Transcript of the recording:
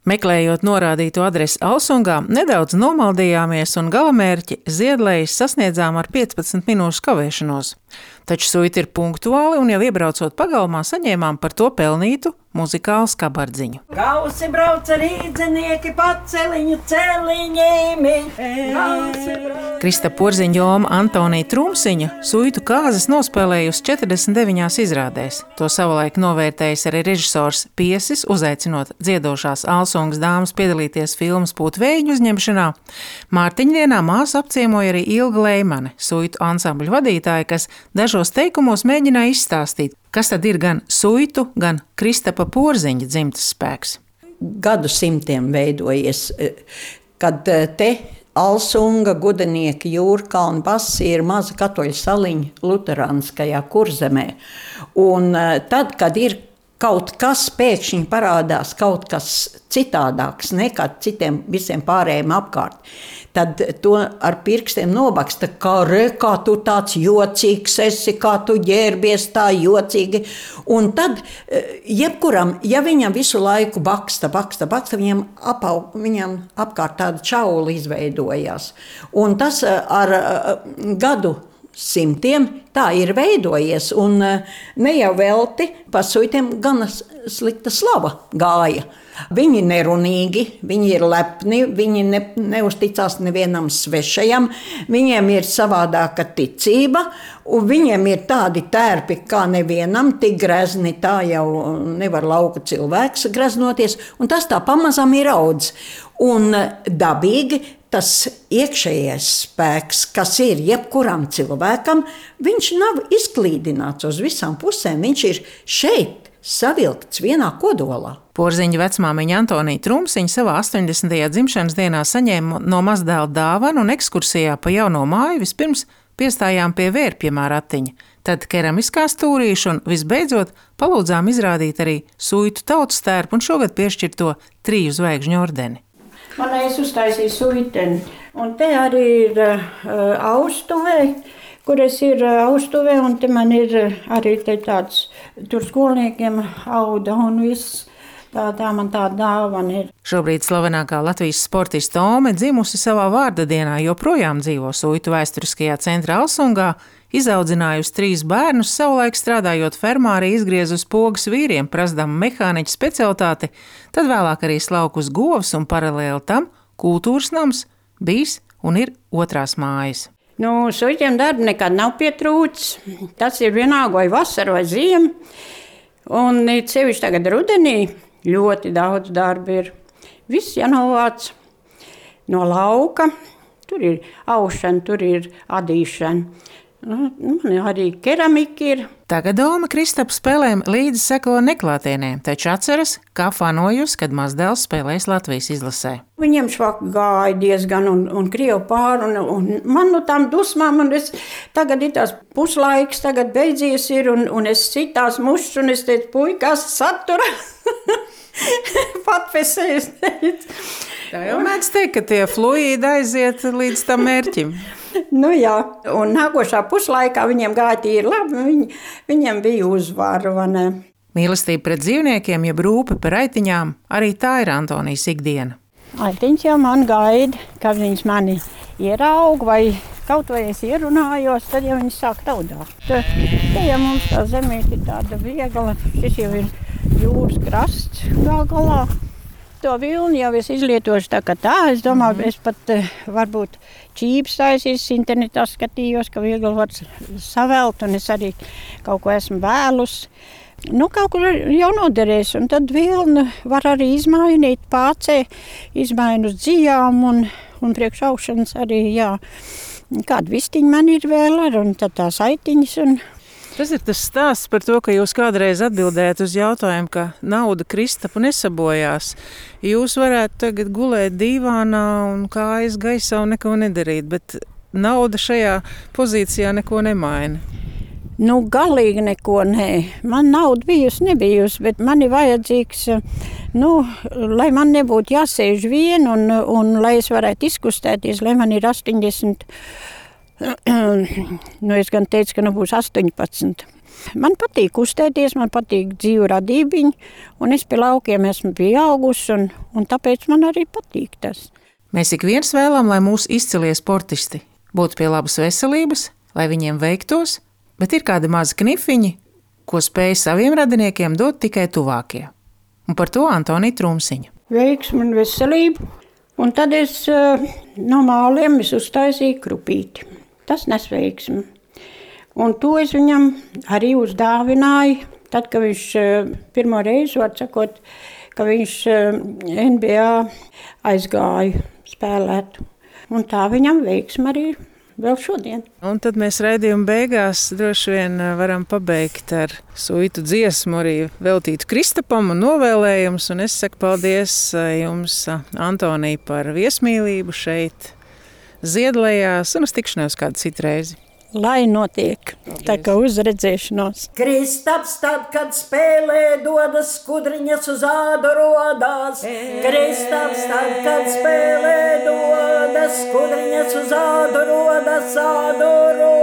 Meklējot norādīto adresi Alsungā, nedaudz nomaldījāmies un galamērķi Ziedlejas sasniedzām ar 15 minūšu kavēšanos. Taču suita ir punktuāli un jau iebraucot pagalmā saņēmām par to pelnītu muzikālu skabardziņu. Gausi brauca rīdzenieki paceliņu celiņiem. Krista Porziņa Joma Antonija Trumsiņa suitu kāzas nospēlējusi 49 izrādēs. To savulaik novērtējis arī režisors Piesis, uzaicinot dziedošās Alsungas dāmas piedalīties filmas Pūtvējiņu uzņemšanā. Mārtiņdienā māsu apciemoja arī Ilga Leimane, suitu ansambļu vadītāja, kas dažos teikumos mēģināja izstāstīt, kas tad ir gan suitu, gan Kristapa Porziņa dzimtas spēks. Gadsimtiem veidojies, kad te Alsunga, Gudenieki, Jūrkalni, Basi ir maza katoļu saliņa luterāniskajā Kurzemē. Un tad, kad ir kaut kas pēkšņi parādās, kaut kas citādāks nekā citiem visiem pārējiem apkārt, tad to ar pirkstiem nobaksta, kā tu tāds jocīgs esi, kā tu ģērbies tā jocīgi. Un tad jebkuram, ja viņam visu laiku baksta, viņam apkārt tāda čaula izveidojās. Un tas ar gadu simtiem tā ir veidojies, un ne jau velti pa suitiem gana slikta slava gāja. Viņi ir nerunīgi, viņi ir lepni, viņi neusticās nevienam svešajam, viņiem ir savādāka ticība, un viņiem ir tādi tērpi kā nevienam, tik grezni tā jau nevar lauka cilvēks greznoties, un tas tā pamazām ir audz. Un dabīgi tas iekšējais spēks, kas ir jebkuram cilvēkam, viņš nav izklīdināts uz visām pusēm, viņš ir šeit savilkts vienā kodolā. Porziņa vecmāmiņa Antonija Trumsiņa savā 80. dzimšanas dienā saņēma no mazdēla dāvanu un ekskursijā pa jauno māju vispirms piestājām pie vērpjamā ratiņa, tad keramiskā stūrīša un visbeidzot palūdzām izrādīt arī suitu tautas tērpu un šogad piešķirto 3 zvaigžņu ordeni. Es uztaisīju suiteni, un te arī ir austuvē, kur es ir austuvē, un te man ir arī te tāds, tur skolniekiem auda un viss. Tā man tāda dāvana ir. Šobrīd slavenākā Latvijas sportista Tome, dzimusi savā vārda dienā, joprojām dzīvo suitu vēsturiskajā centrā Alsungā, izaudzinājusi 3 bērnus, savulaik strādājot fermā arī izgriezus pogas vīriem, prasdama mehāniķa specialitāti, tad vēlāk arī slaukus govs un paralēli tam kultūras nams bijis un ir 2. mājas. Suitiem darba nekad nav pietrūcis. Tas ir vienalga vai vasara vai ziema. Un sevišķi tagad rudenī ļoti daudz darba ir. Viss jānovāc no lauka. Tur ir aušana, tur ir adīšana. Man arī keramika ir. Tagad Doma Kristapa spēlēm līdzi seko neklātienē, taču atceras, kā fanojusi, kad mazdēls spēlēs Latvijas izlasē. Viņiem švaka gāja diezgan un krievu pāri, un man no tām dusmām, un tagad ir tās puslaiks, tagad beidzies ir, un es citās mušas, un es teicu, puikās satura. Patpesēs teicu. Tā jau mēdz teikt, ka tie fluīdi aiziet līdz tam mērķim. Jā, un nākošā puslaikā viņiem gāja tīri labi, viņiem bija uzvara, vai ne? Mīlestība pret dzīvniekiem, jeb rūpe par aitiņām, arī tā ir Antonijas ikdiena. Aitiņš jau man gaida, kad viņas mani ieraug, vai kaut vai es ierunājos, tad jau viņas sāk taudāt. Te jau mums tā zemīte ir tāda viegla, šis jau ir jūras krasts galā. To vilni jau es izlietošu tā kā tā. Es domāju, es pat varbūt čības taisīs, internetā skatījos, ka viegli var savelt, un es arī kaut ko esmu vēlus. Kaut kur jau noderēs, un tad vilni var arī izmainīt pācē, izmainu uz dzijām, un priekš aušanas arī, jā. Kāda vistiņa man ir vēl ar, un tad tās aitiņas, un... Tas ir tas stāsts par to, ka jūs kādreiz atbildējat uz jautājumu, ka nauda Kristapu nesabojās. Jūs varētu tagad gulēt dīvānā un kājas gaisā un neko nedarīt, bet nauda šajā pozīcijā neko nemaina. Galīgi neko nē. Man nauda nebijusi, bet man ir vajadzīgs, lai man nebūtu jāsēž vien un lai es varētu izkustēties, lai man ir 80. Es gan teicu, ka būs 18. Man patīk kustēties, man patīk dzīvu radībiņu, un es pie laukiem esmu pieaugusi, un tāpēc man arī patīk tas. Mēs ik viens vēlam, lai mūsu izcilie sportisti būtu pie labas veselības, lai viņiem veiktos, bet ir kādi mazi knifiņi, ko spēj saviem radiniekiem dot tikai tuvākie. Un par to Antonija Trumsiņa. Veiksmu un veselību, un tad es no māliem uztaisīju krupīti. Tas nes veiksmi. Un to es viņam arī uzdāvināju, tad, kad viņš pirmo reizi, var sakot, ka viņš NBA aizgāja spēlēt. Un tā viņam veiksmi arī vēl šodien. Un tad mēs raidījuma beigās droši vien varam pabeigt ar suitu dziesmu, arī veltītu Kristapam un novēlējumus. Un es saku paldies jums, Antonija, par viesmīlību šeit Ziedlejās, un uz tikšanos kādu citu reizi. Lai notiek, tā kā uzredzēšanos. Kristaps tad, kad spēlē dodas, skudriņas uz ādu rodās. Kristaps tad, kad spēlē dodas, skudriņas uz ādu rodas, ādu rodas.